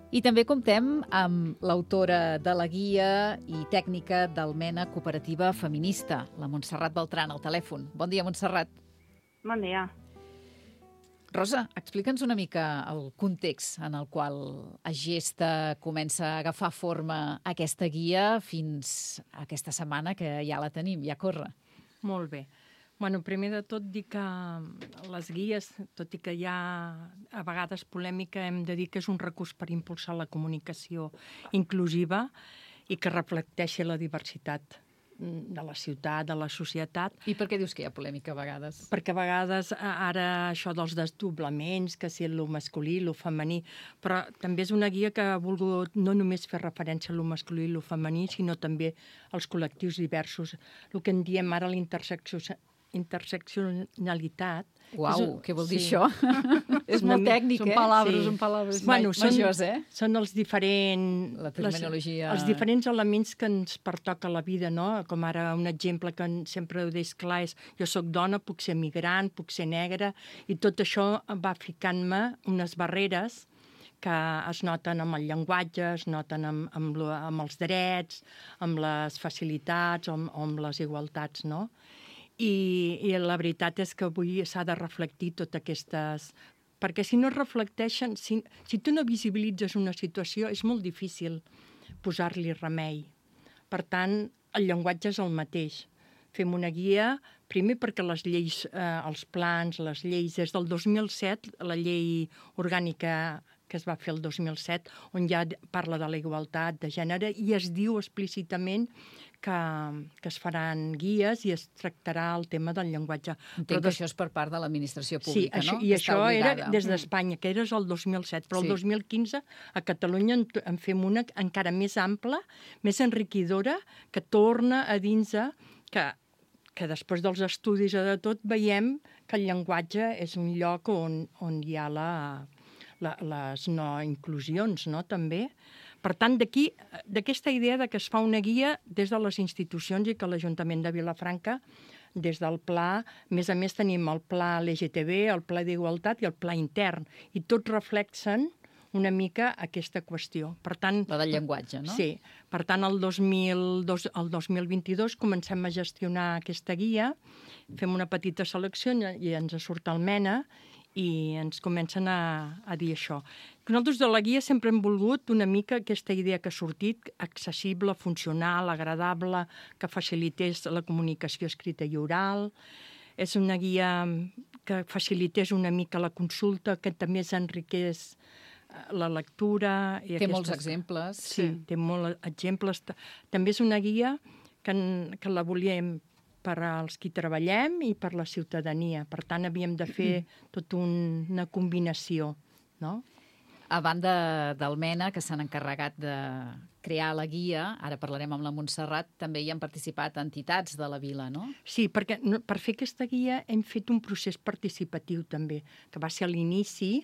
I també comptem amb l'autora de la guia i tècnica del MENA Cooperativa Feminista, la Montserrat Beltrán, al telèfon. Bon dia, Montserrat. Bon dia. Rosa, explica'ns una mica el context en el qual a Gesta comença a agafar forma aquesta guia fins a aquesta setmana que ja la tenim, ja corre. Molt bé. Bueno, primer de tot dir que les guies, tot i que hi ha a vegades polèmica, hem de dir que és un recurs per impulsar la comunicació inclusiva i que reflecteixi la diversitat de la ciutat, de la societat. I per què dius que hi ha polèmica a vegades? Perquè a vegades ara això dels desdoblaments, que si lo masculí, lo femení, però també és una guia que ha volgut no només fer referència a lo masculí i lo femení, sinó també als col·lectius diversos. El que en diem ara interseccionalitat. Uau, què vol dir això? És molt tècnic, són paraules bueno, majors, Són els diferents... La terminologia... Els diferents elements que ens pertoca a la vida, no? Com ara un exemple que sempre ho deix clar és jo sóc dona, puc ser migrant, puc ser negra, i tot això va ficant-me unes barreres que es noten amb el llenguatge, es noten amb els drets, amb les facilitats, amb les igualtats, no? I la veritat és que avui s'ha de reflectir totes aquestes... Perquè si no es reflecteixen, si tu no visibilitzes una situació, és molt difícil posar-li remei. Per tant, el llenguatge és el mateix. Fem una guia, primer perquè les lleis, els plans, les lleis, des del 2007, la llei orgànica que es va fer el 2007, on ja parla de la igualtat de gènere i es diu explícitament que es faran guies i es tractarà el tema del llenguatge. Entenc que això és per part de l'administració pública, sí, no? I això era des d'Espanya, que era el 2007, però el 2015 a Catalunya en fem una encara més ampla, més enriquidora, que torna a dins que després dels estudis de tot veiem que el llenguatge és un lloc on hi ha les no inclusions, no?, també. Per tant, d'aquesta idea de que es fa una guia des de les institucions i que l'Ajuntament de Vilafranca, des del pla, a més tenim el pla LGTB, el pla d'igualtat i el pla intern, i tots reflexen una mica aquesta qüestió. Per tant, la del llenguatge, no? Sí. Per tant, el 2022 comencem a gestionar aquesta guia, fem una petita selecció i ens surt el MENA, i ens comencen a dir això. Nosaltres de la guia sempre hem volgut una mica aquesta idea que ha sortit, accessible, funcional, agradable, que facilités la comunicació escrita i oral. És una guia que facilités una mica la consulta, que també s'enriqués la lectura. Té molts exemples. Sí, té molts exemples. També és una guia que la volíem per als qui treballem i per la ciutadania. Per tant, havíem de fer tota una combinació, no? A banda del MENA, que s'han encarregat de crear la guia, ara parlarem amb la Montserrat, també hi han participat entitats de la vila, no? Sí, perquè per fer aquesta guia hem fet un procés participatiu també, que va ser a l'inici,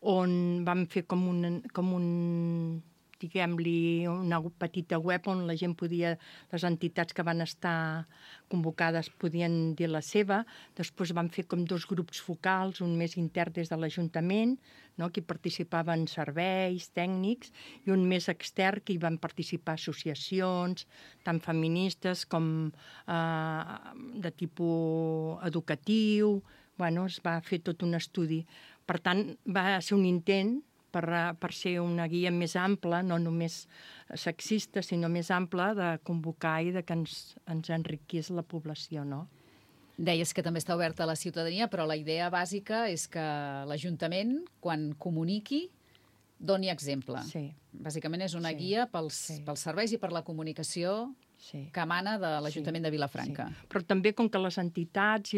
on vam fer com un diguem-li, una petita web on la gent podia, les entitats que van estar convocades podien dir la seva. Després van fer com 2 grups focals, un més intern des de l'Ajuntament, no?, que hi participaven serveis, tècnics, i un més extern, que hi van participar associacions, tant feministes com de tipus educatiu. Bueno, es va fer tot un estudi. Per tant, va ser un intent per ser una guia més ampla, no només sexista, sinó més ampla, de convocar i de que ens enriquís la població, no? Deies que també està oberta a la ciutadania, però la idea bàsica és que l'Ajuntament, quan comuniqui, doni exemple. Sí. Bàsicament és una guia pels serveis i per la comunicació que emana de l'Ajuntament de Vilafranca. Sí. Però també, com que les entitats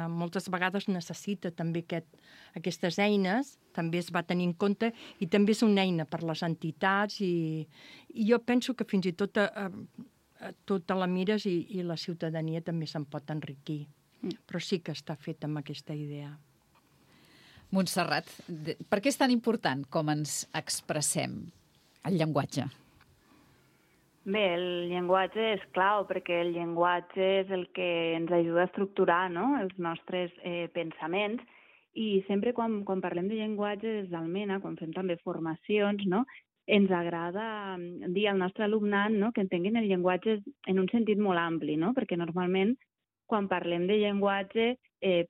moltes vegades necessita també aquestes eines, també es va tenir en compte, i també és una eina per les entitats, i jo penso que fins i tot tota la mires i la ciutadania també se'n pot enriquir. Però sí que està fet amb aquesta idea. Montserrat, per què és tan important com ens expressem el llenguatge? Bé, el llenguatge és clau, perquè el llenguatge és el que ens ajuda a estructurar, no?, els nostres pensaments, I sempre quan parlem de llenguatge des d'Almena, quan fem també formacions, no? Ens agrada dir al nostre alumnat, no? Que entenguin el llenguatge en un sentit molt ampli, no? Perquè normalment quan parlem de llenguatge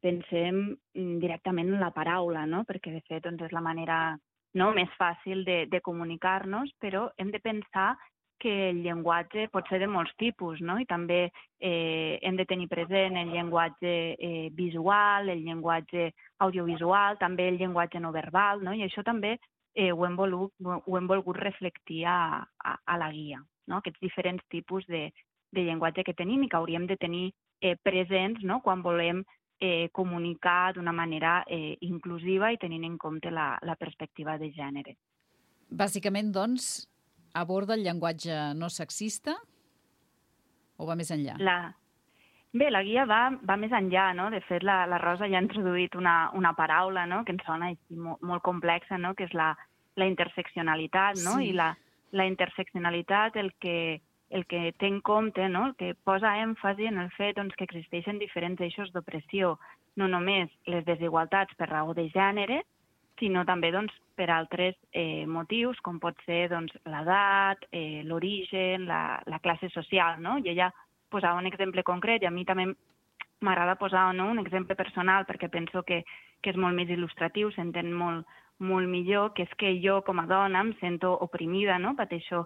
pensem directament en la paraula, no? Perquè de fet doncs, és la manera més fàcil de comunicar-nos, però hem de pensar que el llenguatge pot ser de molts tipus, no? I també hem de tenir present el llenguatge visual, el llenguatge audiovisual, també el llenguatge no verbal, no? I això també ho hem volgut reflectir a la guia, no? Aquests diferents tipus de llenguatge que tenim i que hauríem de tenir presents, no? Quan volem comunicar d'una manera inclusiva i tenint en compte la perspectiva de gènere. Bàsicament, doncs, aborda el llenguatge no sexista o va més enllà? Bé, la guia va més enllà, no? De fet, la Rosa ja ha introduït una paraula, no? Que ens sona així molt complexa, no? Que és la interseccionalitat, no? Sí. I la interseccionalitat el que té en compte, no? El que posa èmfasi en el fet doncs, que existeixen diferents eixos d'opressió, no només les desigualtats per raó de gènere, sinó també doncs, per altres motius, com pot ser doncs, l'edat, l'origen, la classe social, no? I ella posava un exemple concret i a mi també m'agrada posar un exemple personal perquè penso que és molt més il·lustratiu, s'entén molt millor, que és que jo com a dona em sento oprimida, no? Pateixo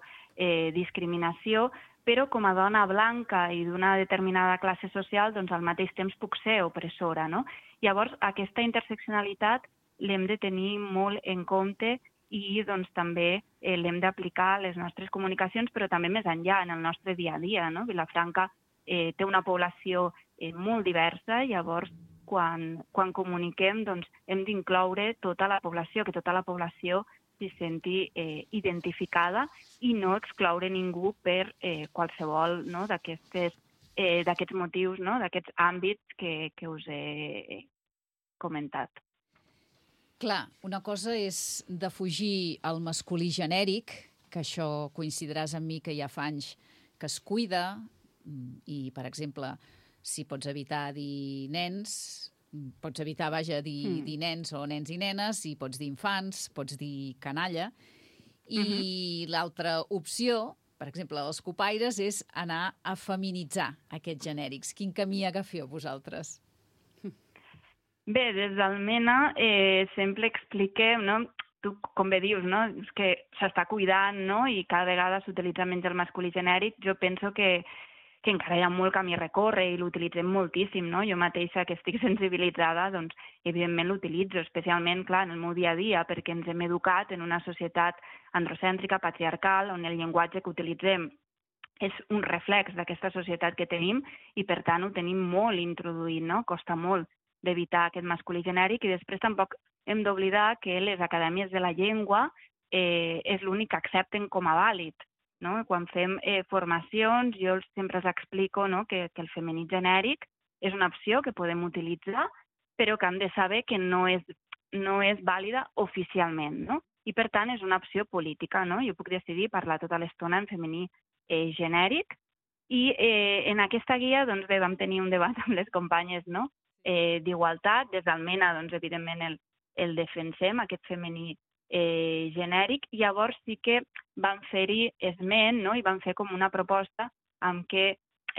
discriminació, però com a dona blanca i d'una determinada classe social, doncs al mateix temps puc ser opressora, no? Llavors, aquesta interseccionalitat l'hem de tenir molt en compte i doncs, també l'hem d'aplicar a les nostres comunicacions, però també més enllà, en el nostre dia a dia, no? Vilafranca té una població molt diversa, llavors quan comuniquem doncs, hem d'incloure tota la població, que tota la població s'hi senti identificada i no excloure ningú per qualsevol d'aquests motius, no? D'aquests àmbits que us he comentat. Clar, una cosa és defugir el masculí genèric, que això coincidiràs amb mi que ja fa anys que es cuida, i, per exemple, si pots evitar dir nens, pots evitar, dir nens o nens i nenes, i pots dir infants, pots dir canalla, i l'altra opció, per exemple, dels copaires, és anar a feminitzar aquests genèrics. Quin camí agafeu vosaltres? Bé, des d'Almena sempre expliquem, no? Tu, com bé dius, no? És que s'està cuidant, no? I cada vegada s'utilitza menys el masculí genèric. Jo penso que encara hi ha molt camí a recórrer i l'utilitzem moltíssim, no? Jo mateixa, que estic sensibilitzada, doncs, evidentment l'utilitzo, especialment, clar, en el meu dia a dia, perquè ens hem educat en una societat androcèntrica, patriarcal, on el llenguatge que utilitzem és un reflex d'aquesta societat que tenim i, per tant, ho tenim molt introduït, no? Costa molt d'evitar aquest masculí genèric i després tampoc hem d'oblidar que les acadèmies de la llengua és l'únic que accepten com a vàlid, no? Quan fem formacions jo sempre els explico, no? que el femení genèric és una opció que podem utilitzar però que hem de saber que no és vàlida oficialment, no? I per tant és una opció política, no? Jo puc decidir parlar tota l'estona en femení genèric i en aquesta guia doncs, bé, vam tenir un debat amb les companyes, no? D'igualtat, des d'Almena, doncs, evidentment el defensem, aquest femení genèric, i llavors sí que vam fer-hi esment, no? I vam fer com una proposta amb què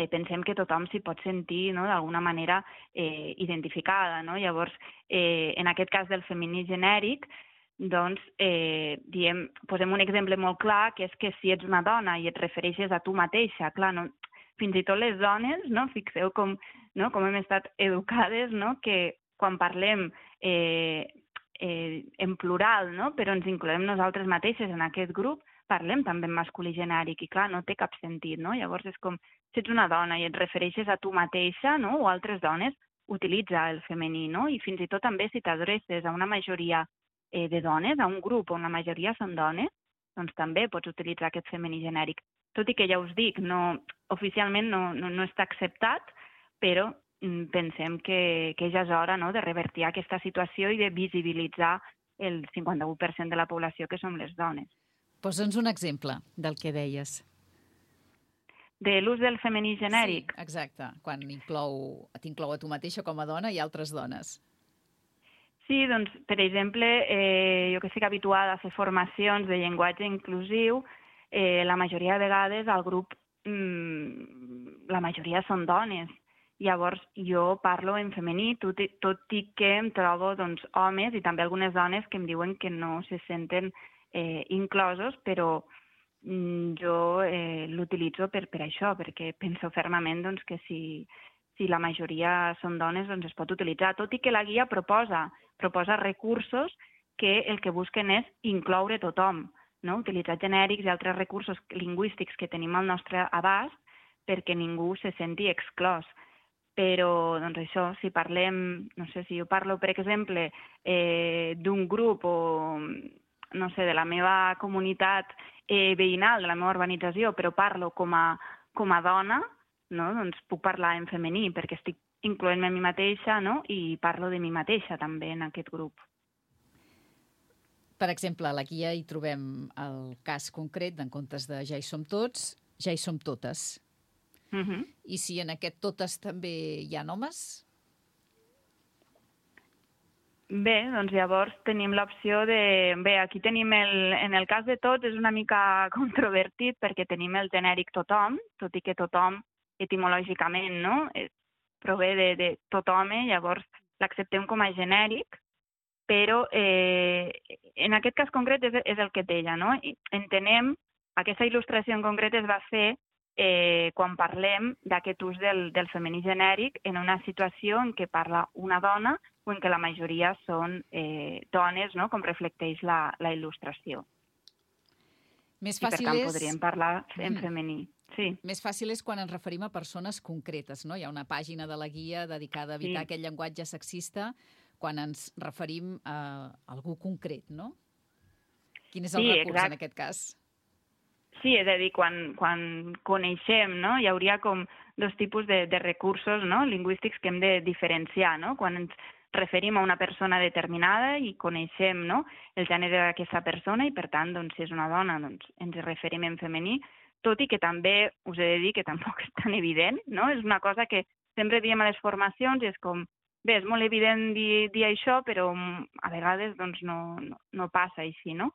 pensem que tothom s'hi pot sentir, no? D'alguna manera identificada, no? Llavors, en aquest cas del femení genèric, doncs, posem un exemple molt clar, que és que si ets una dona i et refereixes a tu mateixa, clar, no? Fins i tot les dones, no? Fixeu com hem estat educades, no? Que quan parlem en plural, no? Però ens incloem nosaltres mateixes en aquest grup, parlem també en masculí genèric i clar, no té cap sentit, no? Llavors és com, si ets una dona i et refereixes a tu mateixa, no? O altres dones, utilitza el femení, no? I fins i tot també si t'adreces a una majoria de dones, a un grup on la majoria són dones, doncs també pots utilitzar aquest femení genèric. Tot i que ja us dic, oficialment no està acceptat, però pensem que ja és hora, no? De revertir aquesta situació i de visibilitzar el 51% de la població que som les dones. Posa'ns un exemple del que deies. De l'ús del femení genèric? Sí, exacte, quan t'inclou a tu mateixa com a dona i altres dones. Sí, doncs, per exemple, jo que estic habituada a fer formacions de llenguatge inclusiu, la majoria de vegades al grup, la majoria són dones. Llavors, jo parlo en femení, tot i que em trobo doncs, homes i també algunes dones que em diuen que no se senten inclosos, però jo l'utilitzo per això, perquè penso fermament doncs, que si la majoria són dones, doncs es pot utilitzar, tot i que la guia proposa recursos que el que busquen és incloure tothom, no? Utilitzar genèrics i altres recursos lingüístics que tenim al nostre abast perquè ningú se senti exclòs. Però, doncs això, si parlem, no sé, si jo parlo, per exemple, d'un grup o, no sé, de la meva comunitat veïnal, de la meva urbanització, però parlo com a dona, no? Doncs puc parlar en femení perquè estic incloent-me a mi mateixa, no? I parlo de mi mateixa també en aquest grup. Per exemple, a la guia hi trobem el cas concret d'en comptes de ja hi som tots, ja hi som totes. I si en aquest totes també hi ha homes? Bé, doncs llavors tenim l'opció de... Bé, aquí tenim en el cas de tots és una mica controvertit perquè tenim el genèric tothom, tot i que tothom etimològicament, no? Prové de tothom, llavors l'acceptem com a genèric, però en aquest cas concret és el que deia, no? Entenem, aquesta il·lustració en concret es va fer quan parlem d'aquest ús del femení genèric en una situació en què parla una dona o en què la majoria són dones, no? Com reflecteix la il·lustració. Més I per fàcil tant és... podríem parlar en femení. Sí. Més fàcil és quan ens referim a persones concretes, no? Hi ha una pàgina de la guia dedicada a evitar aquest llenguatge sexista quan ens referim a algú concret, no? Quin és el recurs en aquest cas? Sí, és a dir, quan coneixem, no? Hi hauria com dos tipus de recursos, no? Lingüístics que hem de diferenciar, no? Quan ens referim a una persona determinada i coneixem, no? El gènere d'aquesta persona i, per tant, doncs, si és una dona, doncs, ens referim en femení, tot i que també us he de dir que tampoc és tan evident, no? És una cosa que sempre diem a les formacions i és com, bé, és molt evident dir això, però a vegades doncs, no passa així, no?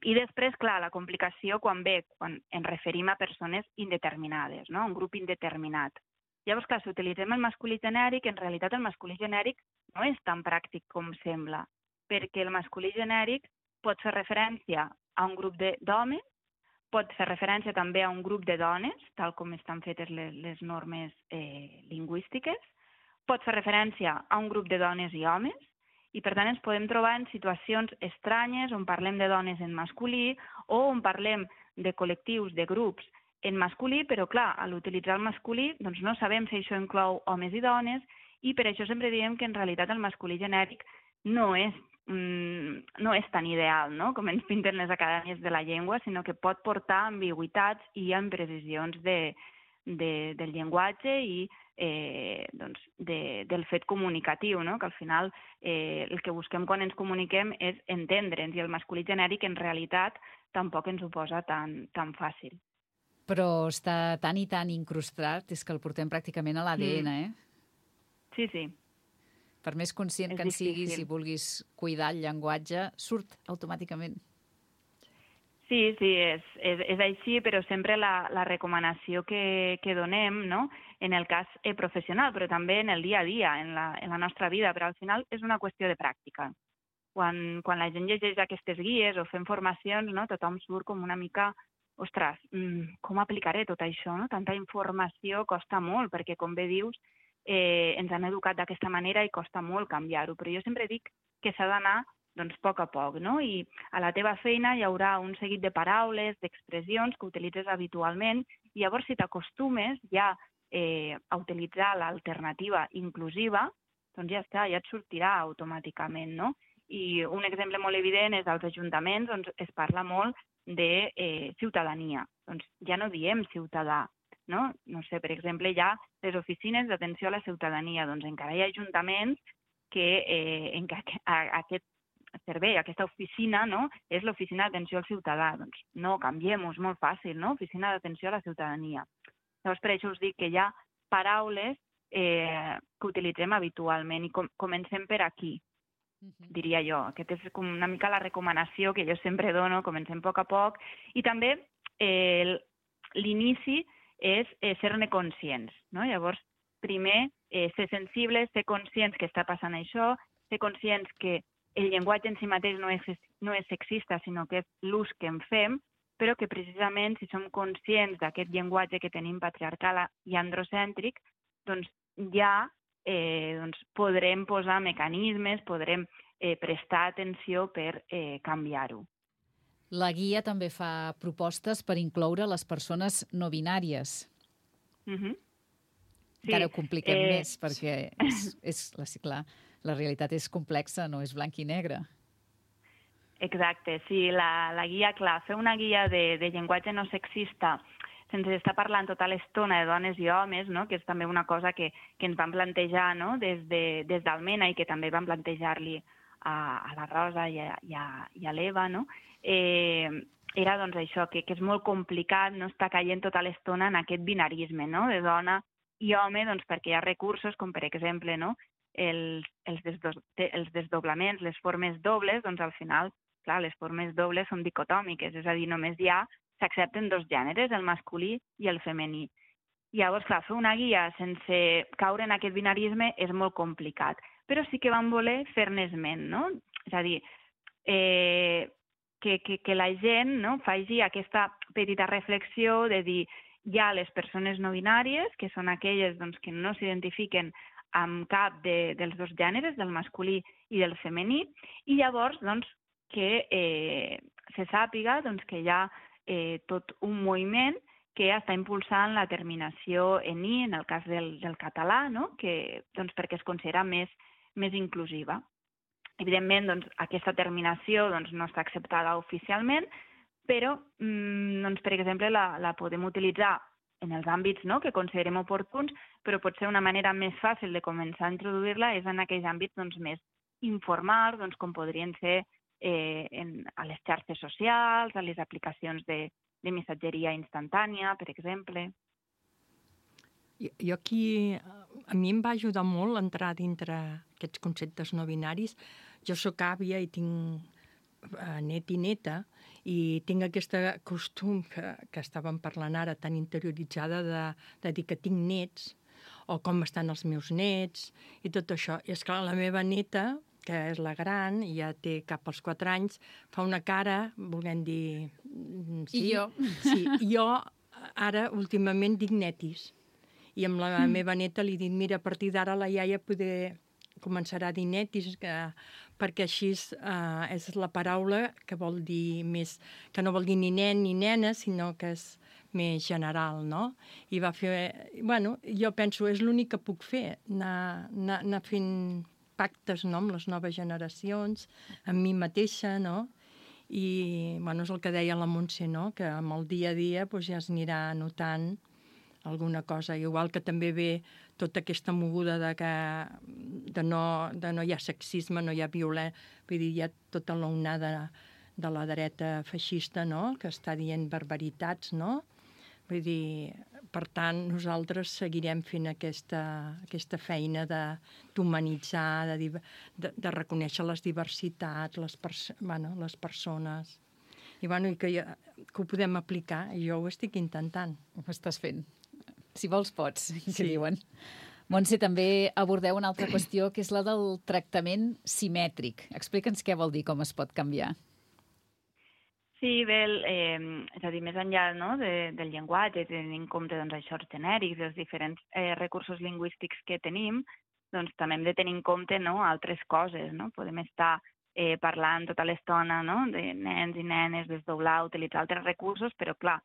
I després, clar, la complicació quan ens referim a persones indeterminades, no? Un grup indeterminat. Llavors, clar, si utilitzem el masculí genèric, en realitat el masculí genèric no és tan pràctic com sembla, perquè el masculí genèric pot fer referència a un grup d'homes, pot fer referència també a un grup de dones, tal com estan fetes les normes lingüístiques, pot fer referència a un grup de dones i homes, i per tant ens podem trobar en situacions estranyes on parlem de dones en masculí o on parlem de col·lectius, de grups en masculí, però clar, a l'utilitzar el masculí doncs no sabem si això inclou homes i dones i per això sempre diem que en realitat el masculí genèric no és tan ideal, no? Com ens pinten les acadèmies de la llengua, sinó que pot portar ambigüitats i imprecisions del llenguatge i del fet comunicatiu, no? Que al final el que busquem quan ens comuniquem és entendre'ns i el masculí genèric en realitat tampoc ens ho posa tan fàcil. Però està tan i tan incrustat, és que el portem pràcticament a l'ADN, Sí, sí. Per més conscient que en siguis i vulguis cuidar el llenguatge, surt automàticament. Sí, és així, però sempre la recomanació que donem, no? En el cas professional, però també en el dia a dia, en la nostra vida, però al final és una qüestió de pràctica. Quan la gent llegeix aquestes guies o fem formacions, no? Tothom surt com una mica, ostres, com aplicaré tot això? No? Tanta informació costa molt, perquè com bé dius, ens han educat d'aquesta manera i costa molt canviar-ho, però jo sempre dic que s'ha d'anar doncs, a poc, no? I a la teva feina hi haurà un seguit de paraules, d'expressions que utilitzes habitualment i llavors si t'acostumes ja a utilitzar l'alternativa inclusiva, doncs ja està, ja et sortirà automàticament, no? I un exemple molt evident és als ajuntaments on es parla molt de ciutadania. Doncs ja no diem ciutadà, no? No sé, per exemple, hi ha les oficines d'atenció a la ciutadania. Doncs encara hi ha ajuntaments en què aquest servei, aquesta oficina, no? És l'oficina d'atenció al ciutadà. Doncs no, canviem-ho, és molt fàcil, no? Oficina d'atenció a la ciutadania. Llavors, per això us dic que hi ha paraules que utilitzem habitualment, i comencem per aquí, diria jo. Aquesta és com una mica la recomanació que jo sempre dono, comencem a poc, i també l'inici és ser-ne conscients, no? Llavors, primer, ser sensibles, ser conscients que està passant això, ser conscients que el llenguatge en si mateix no és sexista, sinó que és l'ús que en fem, però que precisament si som conscients d'aquest llenguatge que tenim patriarcal i androcèntric, doncs ja podrem posar mecanismes, podrem prestar atenció per canviar-ho. La guia també fa propostes per incloure les persones no binàries. Encara ho compliquem més, perquè clar, la realitat és complexa, no és blanc i negre. Exacte, sí, la guia, clar, fer una guia de llenguatge no sexista sense estar parlant tota l'estona de dones i homes, no? Que és també una cosa que ens van plantejar, no? des d'Almena, i que també van plantejar-li a la Rosa i a l'Eva, no? Era doncs això, que és molt complicat no estar caient tota l'estona en aquest binarisme, no? De dona i home, doncs perquè hi ha recursos com, per exemple, no? els desdoblaments, les formes dobles, doncs al final, clar, les formes dobles són dicotòmiques, és a dir, només s'accepten dos gèneres, el masculí i el femení. Llavors, clar, fer una guia sense caure en aquest binarisme és molt complicat, però sí que vam voler fer-ne esment, no? És a dir, que la gent faci aquesta petita reflexió de dir hi ha les persones no binàries, que són aquelles que no s'identifiquen amb cap dels dos gèneres, del masculí i del femení, i llavors que se sàpiga que hi ha tot un moviment que està impulsant la terminació en i, en el cas del català, perquè es considera més inclusiva. Evidentment, aquesta terminació no està acceptada oficialment, però, per exemple, la podem utilitzar en els àmbits que considerem oportuns, però potser una manera més fàcil de començar a introduir-la és en aquells àmbits més informals, com podrien ser a les xarxes socials, a les aplicacions de missatgeria instantània, per exemple. Jo aquí, a mi em va ajudar molt entrar dintre aquests conceptes no binaris. Jo sóc àvia i tinc net i neta, i tinc aquest costum que estàvem parlant ara, tan interioritzada de dir que tinc nets, o com estan els meus nets, i tot això. I esclar, la meva neta, que és la gran, i ja té cap als 4 anys, fa una cara, volent dir... Sí, I jo? Sí, jo ara últimament dic netis. I amb la meva neta li dic, mira, a partir d'ara la iaia començarà a dir netis, perquè així és la paraula que vol dir més, que no vol dir ni nen ni nena, sinó que és més general, no? I va fer... Bueno, jo penso, és l'únic que puc fer, anar fent pactes amb les noves generacions, amb mi mateixa, no? I, bueno, és el que deia la Montse, no? Que amb el dia a dia ja es anirà notant alguna cosa, igual que també ve tota aquesta moguda de no hi ha sexisme, no hi ha violència, vull dir, hi ha tota l'onada de la dreta feixista, no?, que està dient barbaritats, no? Vull dir, per tant, nosaltres seguirem fent aquesta feina d'humanitzar, de reconèixer les diversitats, les persones, i que ho podem aplicar, i jo ho estic intentant. Ho estàs fent. Si vols, pots, que diuen. Montse, també abordeu una altra qüestió, que és la del tractament simètric. Explica'ns què vol dir, com es pot canviar. Sí, bé, és a dir, més enllà del llenguatge, tenint en compte això, els genèrics, els diferents recursos lingüístics que tenim, també hem de tenir en compte altres coses. Podem estar parlant tota l'estona de nens i nenes, desdoblar, utilitzar altres recursos, però, clar,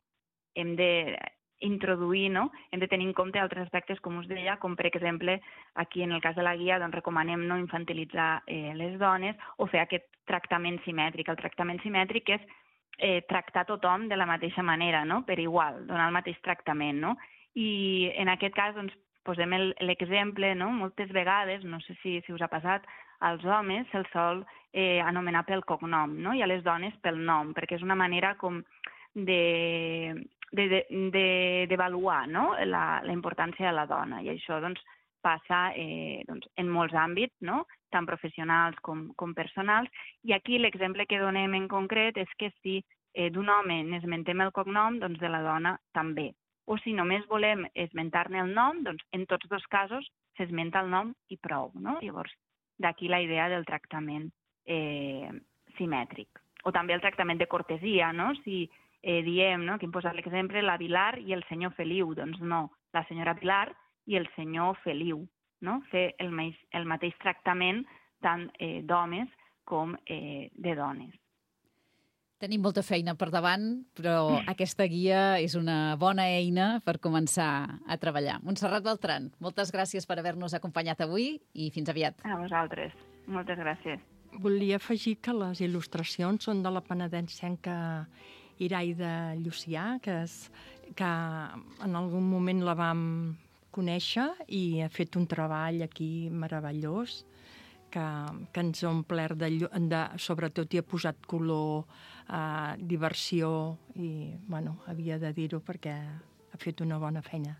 hem d'introduir, hem de tenir en compte altres aspectes, com us deia, com per exemple, aquí en el cas de la guia recomanem no infantilitzar les dones o fer aquest tractament simètric. El tractament simètric és tractar tothom de la mateixa manera, per igual, donar el mateix tractament. I en aquest cas posem l'exemple, moltes vegades, no sé si us ha passat, als homes se'ls sol anomenar pel cognom i a les dones pel nom, perquè és una manera com d'avaluar la importància de la dona, i això passa en molts àmbits, no? Tant professionals com personals. I aquí l'exemple que donem en concret és que si d'un home n'esmentem el cognom, doncs de la dona també. O si només volem esmentar-ne el nom, doncs en tots dos casos s'esmenta el nom i prou, no? Llavors, d'aquí la idea del tractament simètric. O també el tractament de cortesia, no? Si diem, no? Aquí hem posat l'exemple, la Vilar i el senyor Feliu, doncs no, la senyora Pilar i el senyor Feliu, no? Fer el mateix tractament tant d'homes com de dones. Tenim molta feina per davant, però aquesta guia és una bona eina per començar a treballar. Montserrat Beltran, moltes gràcies per haver-nos acompanyat avui i fins aviat. A vosaltres. Moltes gràcies. Volia afegir que les il·lustracions són de la penedensenca Iraida Llucià, que en algun moment la vam conèixer i ha fet un treball aquí meravellós que ens ha omplert sobretot i ha posat color, diversió i, havia de dir-ho perquè ha fet una bona feina.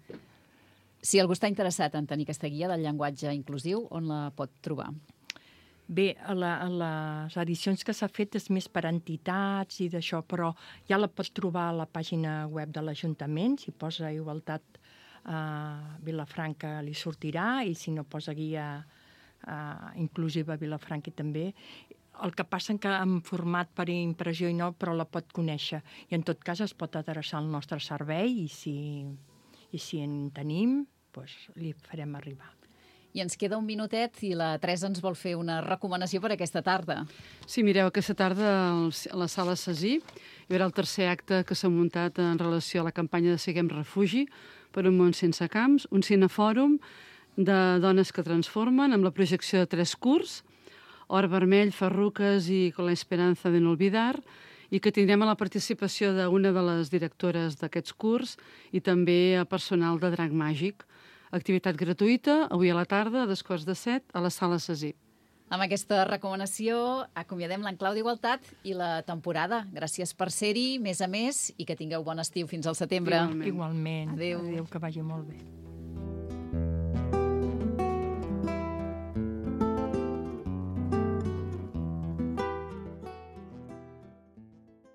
Si algú està interessat en tenir aquesta guia del llenguatge inclusiu, on la pot trobar? Bé, a les edicions que s'ha fet és més per entitats i d'això, però ja la pot trobar a la pàgina web de l'Ajuntament. Si posa Igualtat Vilafranca li sortirà, i si no posa guia inclusiva Vilafranca també. El que passa que en format per impressió i no, però la pot conèixer. I en tot cas es pot adreçar al nostre servei i si en tenim, doncs li farem arribar. I ens queda un minutet i la Teresa ens vol fer una recomanació per aquesta tarda. Sí, mireu, aquesta tarda a la Sala Cesí hi haurà el tercer acte que s'ha muntat en relació a la campanya de Siguem Refugi per un món sense camps, un cinefòrum de dones que transformen amb la projecció de 3 curts, Or Vermell, Farruques i Con la Esperanza de no olvidar, i que tindrem la participació d'una de les directores d'aquests curts i també a personal de Drac Màgic. Activitat gratuïta, avui a la tarda, a 7:15, a la Sala Cesí. Amb aquesta recomanació acomiadem l'Enclau d'Igualtat i la temporada. Gràcies per ser-hi, més a més, i que tingueu bon estiu fins al setembre. Igualment. Adéu. Adéu, que vagi molt bé.